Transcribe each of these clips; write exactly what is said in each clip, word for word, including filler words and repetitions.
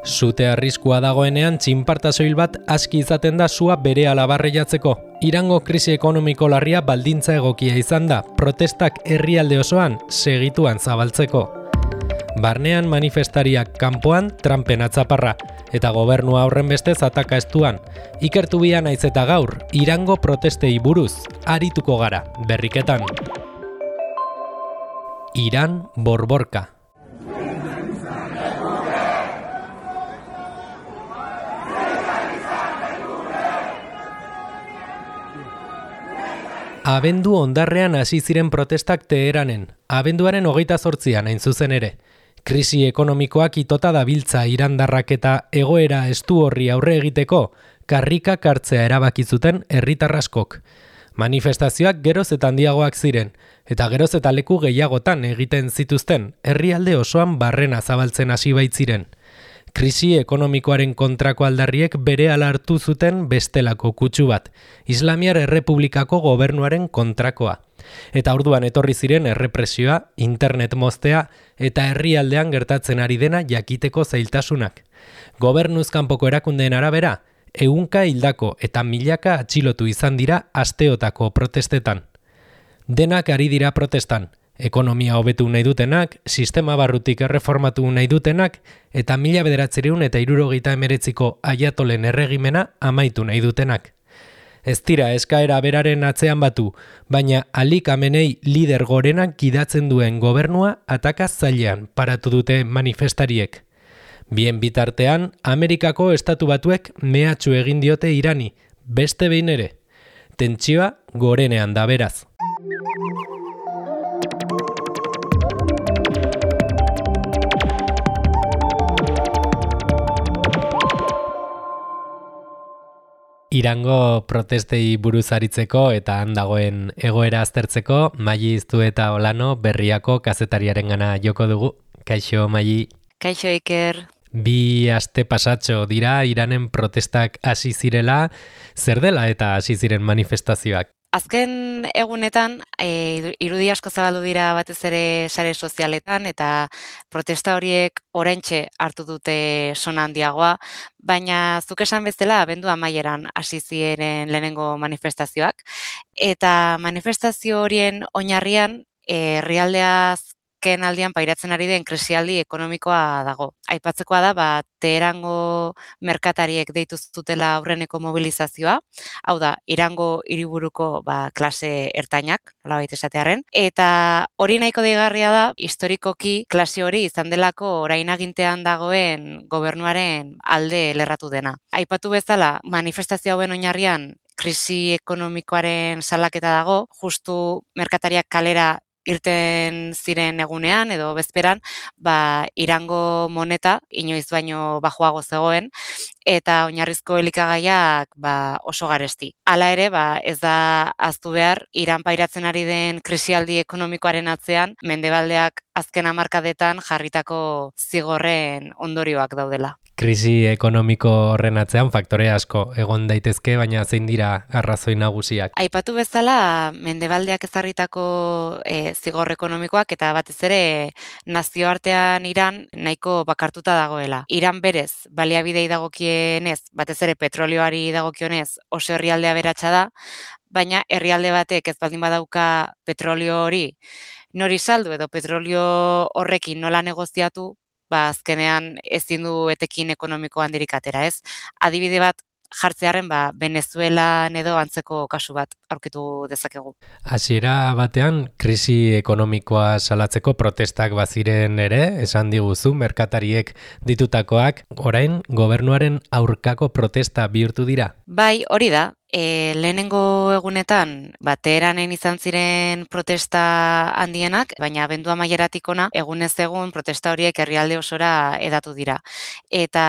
Sute arriskua dagoenean txinparta soil bat aski izaten da sua berehala barreiatzeko. Irango krisi ekonomiko larria baldintza egokia izan da, protestak herrialde osoan segituan zabaltzeko. Barnean manifestariak kanpoan Trumpen atzaparra, eta gobernua horren bestez ataka estuan. Ikertu bia naiz eta gaur, Irango protestei buruz, arituko gara, berriketan. Iran borborka. Abendu hondarrean hasi ziren protestak Teheranen, abenduaren hogeita zortzian hain zuzen ere. Krisi ekonomikoak itota dabiltza irandarrak eta egoera estu horri aurre egiteko, karrikak hartzea erabaki zuten herritar askok. Manifestazioak geroz eta handiagoak ziren, eta geroz eta leku gehiagotan egiten zituzten, herrialde osoan barrena zabaltzen hasi baitziren. Krisi ekonomikoaren kontrako aldarriek berehala hartu zuten bestelako kutsu bat, Islamiar Errepublikako gobernuaren kontrakoa. Eta orduan etorri ziren errepresioa, internet moztea eta herrialdean gertatzen ari dena jakiteko zailtasunak. Gobernuz kanpoko erakundeen arabera, ehunka hildako eta milaka atxilotu izan dira asteotako protestetan. Denak ari dira protestan. Ekonomia hobetu nahi dutenak, sistema barrutik erreformatu nahi dutenak, eta mila bederatziehun eta hirurogeita hemeretziko aiatolen erregimena amaitu nahi dutenak. Ez dira eskaera beraren atzean batu, baina Ali Khamenei lider gorenak gidatzen duen gobernua ataka zailean paratu dute manifestariek. Bien bitartean, Amerikako estatu batuek mehatxu egin diote Irani, beste behin ere. Tentsioa gorenean da beraz. Irango protestei buruz aritzeko eta han dagoen egoera aztertzeko, Maili Iztu eta Olano Berriako kazetariarengana joko dugu. Kaixo, Maili. Kaixo, Iker. Bi aste pasatxo dira Iranen protestak hasi zirela, zer dela eta hasi ziren manifestazioak? Azken egunetan, e, irudi asko zabaldu dira batez ere sare sozialetan eta protesta horiek oraintxe hartu dute sona handiagoa, baina zuk esan bezala abendu amaieran hasi ziren lehenengo manifestazioak. Eta manifestazio horien oinarrian herrialdeaz ken aldian pairatzen ari den krisialdi ekonomikoa dago. Aipatzekoa da, ba, Teherango merkatariek deitu zutela aurreneko mobilizazioa, hau da, Irango hiriburuko ba, klase ertainak, nolabait esatearren, eta hori nahiko deigarria da, historikoki klase hori izan delako orain agintean dagoen gobernuaren alde lerratu dena. Aipatu bezala, manifestazio hauen oinarrian krisi ekonomikoaren salaketa dago, justu merkatariak kalera irten ziren egunean edo bezperan, ba, Irango moneta inoiz baino bajoago zegoen eta oinarrizko elikagaiak ba, oso garesti. Hala ere, ba, ez da ahaztu behar Iran pairatzen ari den krisialdi ekonomikoaren atzean mendebaldeak azken hamarkadetan jarritako zigorren ondorioak daudela. Krisi ekonomiko horren atzean faktore asko egon daitezke, baina zein dira arrazoi nagusiak? Aipatu bezala, mendebaldeak ezarritako e, zigor ekonomikoak eta batez ere nazioartean Iran nahiko bakartuta dagoela. Iran berez, baliabidei dagokienez, batez ere petrolioari dagokionez oso herrialdea aberatsa da, baina herrialde batek ez baldin badauka petrolio hori nori saldu edo petrolio horrekin nola negoziatu, ba azkenean ezin du etekin ekonomiko handirik atera, ez? Adibide bat jartzearen ba Venezuelan edo antzeko kasu bat aurkitu dezakegu. Hasiera batean krisi ekonomikoa salatzeko protestak baziren ere, esan diguzu merkatariek ditutakoak, orain gobernuaren aurkako protesta bihurtu dira. Bai, hori da. E, lehenengo egunetan, ba, Teheranen izan ziren protesta handienak, baina abendu amaieratik ona, egunez egun protesta horiek herrialde osora edatu dira. Eta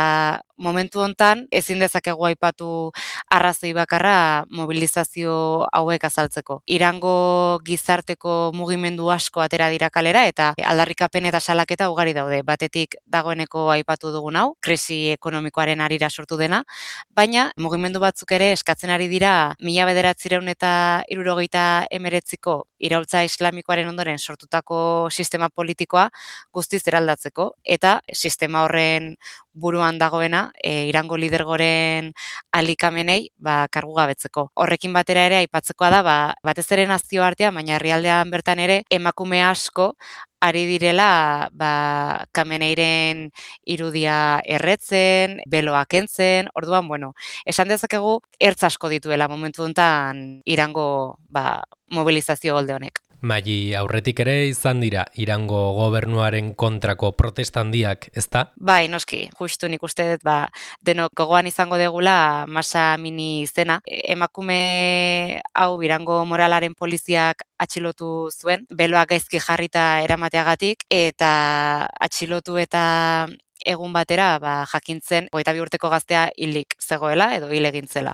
momentu hontan ezin dezakegu aipatu arrazoi bakarra mobilizazio hauek azaltzeko. Irango gizarteko mugimendu asko atera dira kalera eta aldarrikapen eta salaketa ugari daude. Batetik dagoeneko aipatu dugun hau, krisi ekonomikoaren arira sortu dena, baina mugimendu batzuk ere eskatzen ari dira mila bederatziehun eta hirurogeita hemeretziko iraultza islamikoaren ondoren sortutako sistema politikoa guztiz eraldatzeko, eta sistema horren buruan dagoena, e, Irango lidergoren alikamenei ba, kargu gabetzeko. Horrekin batera ere aipatzekoa da, ba, batez ere nazioartean, baina herrialdean bertan ere emakume asko ari direla ba, Khameneiren irudia erretzen, beloa kentzen, orduan, bueno, esan dezakegu ertz asko dituela momentu honetan Irango ba, mobilizazio golde honek. Maili, aurretik ere izan dira Irango gobernuaren kontrako protesta handiak, ezta? Bai, noski, justu nik uste dut, ba, denok gogoan izango degula Masa Amini izena. Emakume hau Irango moralaren poliziak atxilotu zuen, beloak gaizki jarrita eramateagatik, eta atxilotu eta egun batera ba, jakintzen hogeita bi urteko gaztea hilik zegoela edo hil egin zela.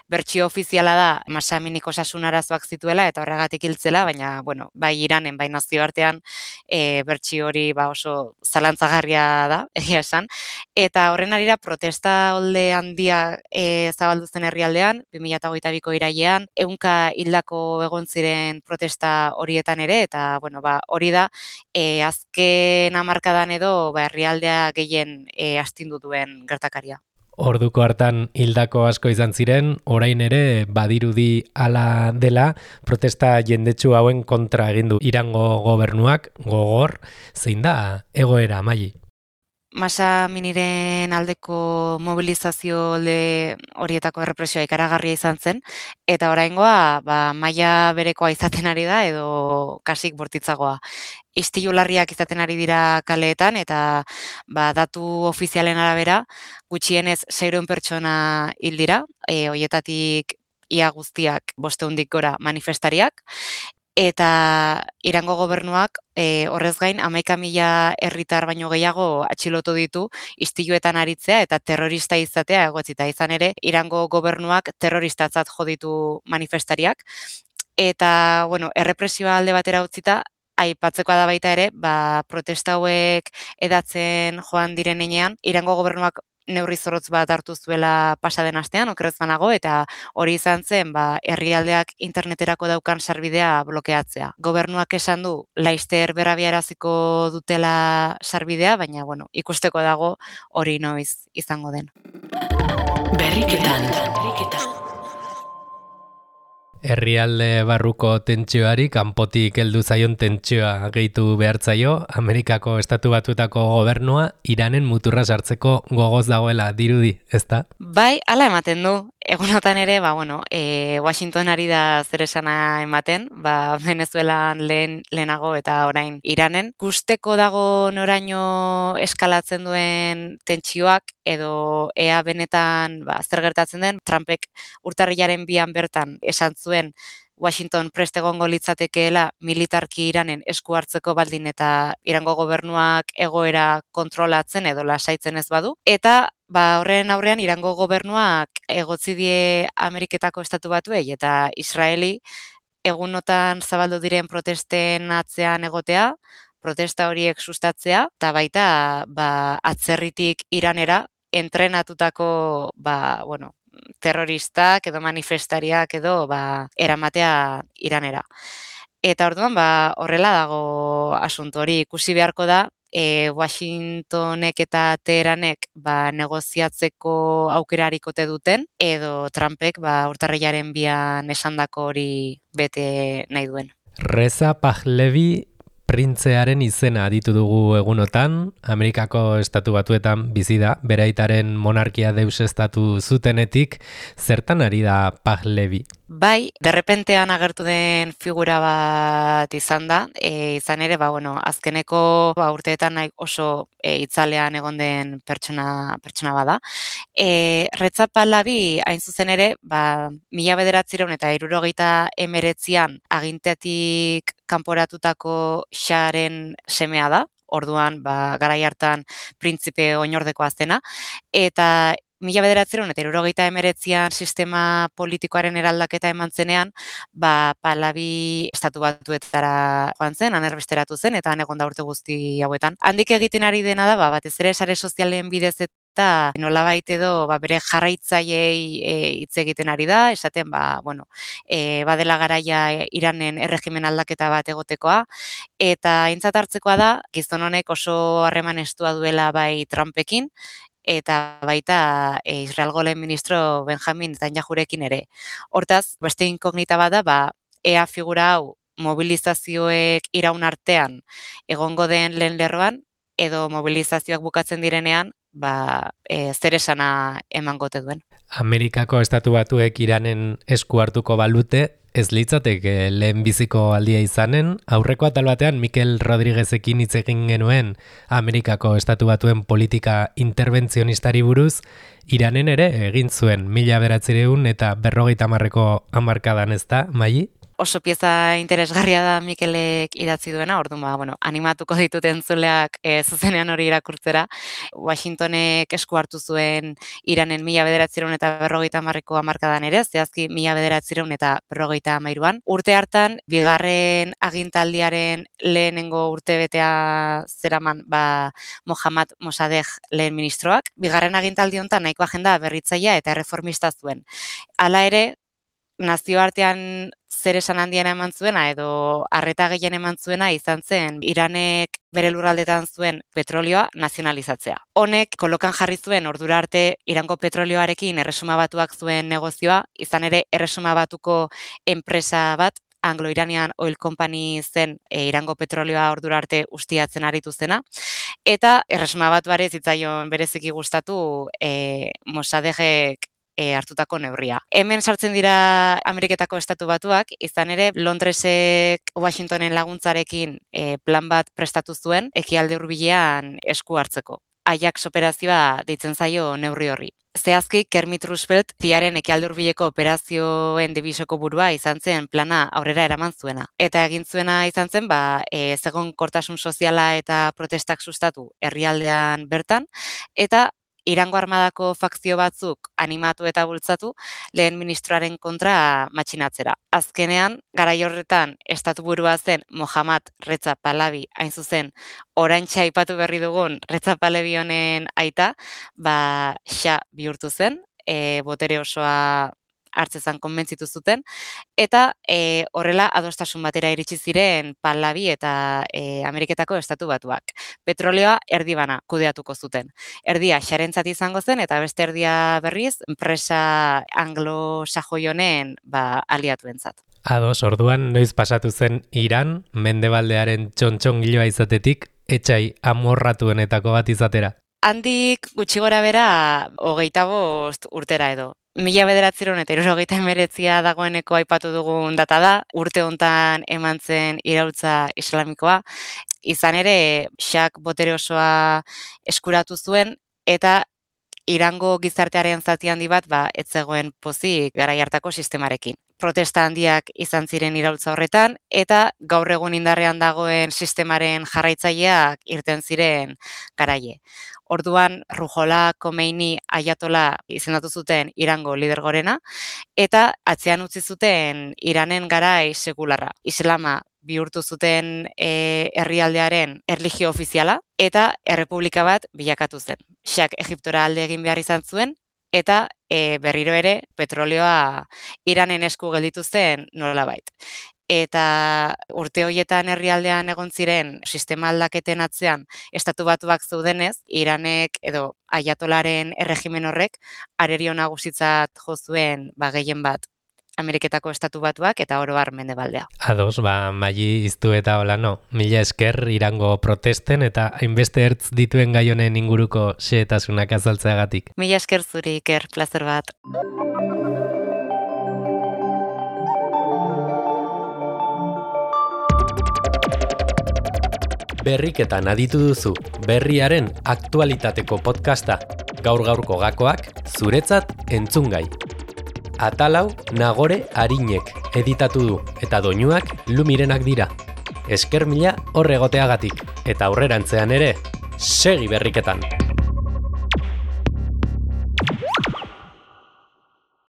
Bertsio ofiziala da Masa Aminik osasun arazoak zituela eta horregatik hiltzela, baina bueno, bai Iranen, bai nazioartean e, bertsio hori ba, oso zalantzagarria da, egia esan. Eta horren arira protesta olde handia e, zabaldu zen herrialdean, bi mila hogeita biko irailean, ehunka hildako egon ziren protesta horietan ere, eta bueno, ba, hori da e, azken hamarkadan edo ba, herrialdea gehien e, astindu duen gertakaria. Orduko hartan hildako asko izan ziren, orain ere badirudi hala dela, protesta jendetsu hauen kontra egin du Irango gobernuak, gogor, zein da egoera, Maili? Masa Aminiren aldeko mobilizazio alde horietako errepresioa ikaragarria izan zen, eta oraingoa ba, maila berekoa izaten ari da edo kasik bortitzagoa. Istilu larriak izaten ari dira kaleetan, eta ba, datu ofizialen arabera, gutxienez seiehun pertsona hil dira, e, horietatik ia guztiak bostehundik gora manifestariak, eta Irango gobernuak e, horrez gain hamaika mila herritar baino gehiago atxilotu ditu istiluetan aritzea eta terrorista izatea egotzita. Izan ere, Irango gobernuak terroristatzat jo ditu manifestariak, eta bueno, errepresioa alde batera utzita, aipatzekoa da baita ere, ba, protesta hauek edatzen joan diren heinean, Irango gobernuak neurri zorrotz bat hartu zuela pasaden astean, okerrez banago, eta hori izan zen ba, herrialdeak interneterako daukan sarbidea blokeatzea. Gobernuak esan du laizter berrabiaraziko dutela sarbidea, baina bueno, ikusteko dago hori noiz izango den. Berriketan. Berriketan. Herrialde barruko tentsioari kanpotik heldu zaion tentsioa gehitu behartzaio, Amerikako Estatu Batuetako gobernua Iranen muturra sartzeko gogoz dagoela dirudi, ezta? Bai, hala ematen du. Egunotan ere, ba, bueno, e, Washington ari da zer esana ematen, ba, Venezuelan lehen, lehenago eta orain Iranen. Gusteko dago noraino eskalatzen duen tentsioak edo ea benetan ba, zer gertatzen den, Trumpek urtarrilaren bian bertan esan zuen Washington prest egongo litzatekeela militarki Iranen esku hartzeko baldin eta Irango gobernuak egoera kontrolatzen edo lasaitzen ez badu. Eta ba, horren aurrean Irango gobernuak egotzi die Ameriketako Estatu Batuei eta Israeli egunotan zabaldu diren protesten atzean egotea, protesta horiek sustatzea, eta baita ba, atzerritik Iranera entrenatutako ba, bueno, terroristak edo manifestariak edo ba, eramatea Iranera. Eta orduan ba, horrela dago asunto hori ikusi beharko da, e, Washingtonek eta Teheranek ba, negoziatzeko aukerarikote duten, edo Trumpek ba, urtarrilaren bian esandako hori bete nahi duen. Reza Pahlavi printzearen izena aditu dugu egunotan, Amerikako Estatu Batuetan bizi da, bere aitaren monarkia deusestatu zutenetik, zertan ari da Pahlavi? Bai, derrepentean agertu den figura bat izan da, e, izan ere, ba, bueno, azkeneko ba, urteetan oso e, itzalean egon den pertsona, pertsona bada. E, Reza Pahlavi hain zuzen ere, ba, mila bederatziehun eta hirurogeita hemeretzian agintetik kanporatutako Sharen semea da, orduan ba, garai hartan printzipe oinordekoa zena, eta mila bederatziehun eta hirurogeita hemeretzian sistema politikoaren eraldaketa eman zenean, ba, Pahlavi Estatu Batuetara joan zen, han erbesteratu zen, eta han egon da urte guzti hauetan. Handik egiten ari dena da, ba, batez ere sare sozialen bidez eta nolabait edo ba, bere jarraitzaileei e, hitz egiten ari da, esaten ba, bueno, e, badela garaia Iranen erregimen aldaketa bat egotekoa, eta aintzat hartzekoa da, gizon honek oso harreman estua duela bai Trumpekin, eta baita e, Israelgo lehen ministro Benjamin Netanyahurekin ere. Hortaz, beste inkognita bada, ba, ea figura hau mobilizazioek iraun artean egongo den lehen lerroan, edo mobilizazioak bukatzen direnean, ba, e, zer esana emangote duen. Amerikako estatu batuek Iranen esku hartuko balute, ez litzateke lehen biziko aldia izanen, aurreko atal batean Mikel Rodriguezekin hitz egin genuen Amerikako estatu batuen politika interbentzionistari buruz, Iranen ere egin zuen mila bederatziehun eta berrogeita hamarreko hamarkadan, ez da, Maili? Oso pieza interesgarria da Mikelek idatzi duena, orduan ba, bueno, animatuko ditut entzuleak e, zuzenean hori irakurtzera. Washingtonek esku hartu zuen Iranen mila bederatziehun eta berrogeita hamarreko hamarkadan ere, zehazki mila bederatziehun eta berrogeita hamairuan. Urte hartan, bigarren agintaldiaren lehenengo urtebetea zeraman ba, Mohammad Mossadegh lehen ministroak. Bigarren agintaldi honetan nahiko agenda berritzailea eta erreformista zuen. Hala ere, nazioartean zer esan handiena eman zuena edo arreta gehien eman zuena izan zen Iranek bere lurraldetan zuen petrolioa nazionalizatzea. Honek kolokan jarri zuen ordura arte Irango petrolioarekin Erresuma Batuak zuen negozioa, izan ere Erresuma Batuko enpresa bat, Anglo-Iranian Oil Company zen e, Irango petrolioa ordura arte ustiatzen aritu zena, eta Erresuma Batuari zitzaion bereziki gustatu e, Mossadeghek E, hartutako neurria. Hemen sartzen dira Ameriketako estatu batuak, izan ere Londresek Washingtonen laguntzarekin e, plan bat prestatu zuen ekialde hurbilean esku hartzeko. Ajax operazioa deitzen zaio neurri horri. Zehazki, Kermit Roosevelt ziaren ekialde hurbileko operazioen dibisoko burua izan zen plana aurrera eraman zuena. Eta egin zuena izan zen, ba, e, zegon kortasun soziala eta protestak sustatu herrialdean bertan, eta Irango armadako fakzio batzuk animatu eta bultzatu lehen ministroaren kontra matxinatzera. Azkenean, garai horretan estatu burua zen Mohammad Reza Pahlavi, hain zuzen, oraintxe aipatu berri dugun Reza Pahlavi honen aita, ba, xa bihurtu zen, e, botere osoa hartzezan konbentzitu zuten, eta e, horrela adostasun batera iritsi ziren Pahlavi eta e, Ameriketako estatu batuak. Petrolioa erdibana kudeatuko zuten. Erdia xarentzat izango zen, eta beste erdia berriz, enpresa anglo-sajoi honen ba, aliatuentzat. Ados, orduan noiz pasatu zen Iran, mendebaldearen txontxongiloa izatetik, etxai amorratuenetako bat izatera? Handik gutxi gora bera hogeita bost urtera edo. Mila bederatziehun eta hirurogeita hemeretzia dagoeneko aipatu dugun data da, urte hontan eman zen iraultza islamikoa, izan ere Shak botere osoa eskuratu zuen, eta Irango gizartearen zati handi bat ba, ez zegoen pozik garai hartako sistemarekin. Protesta handiak izan ziren iraultza horretan, eta gaur egun indarrean dagoen sistemaren jarraitzaileak irten ziren garaie. Orduan, Ruhollah Khomeini Ayatola izendatu zuten Irango lider gorena, eta atzean utzi zuten Iranen garai sekularra. Islama bihurtu zuten e, herrialdearen erlijio ofiziala, eta errepublika bat bilakatu zen. Shak Egiptora alde egin behar izan zuen, eta e, berriro ere petrolioa Iranen esku gelditu zen nolabait. Eta urte horietan herrialdean egon ziren sistema aldaketen atzean estatu batuak zeudenez, Iranek edo Ayatolaren erregimen horrek arerio nagusitzat jo zuen ba, gehien bat Ameriketako estatu batuak eta oro har mendebaldea. Ados, ba, Maili iztu eta hola no. Mila esker Irango protesten eta hainbeste ertz dituen gai honen inguruko xehetasunak azaltzeagatik. Mila esker zuri, Iker, plazer bat. Berriketan aditu duzu, berriaren aktualitateko podcasta. Gaur-gaurko gakoak, zuretzat entzungai. Atalau Nagore Arinek editatu du, eta doinuak Lumirenak dira. Esker mila horregoteagatik, eta aurrerantzean ere, segi berriketan!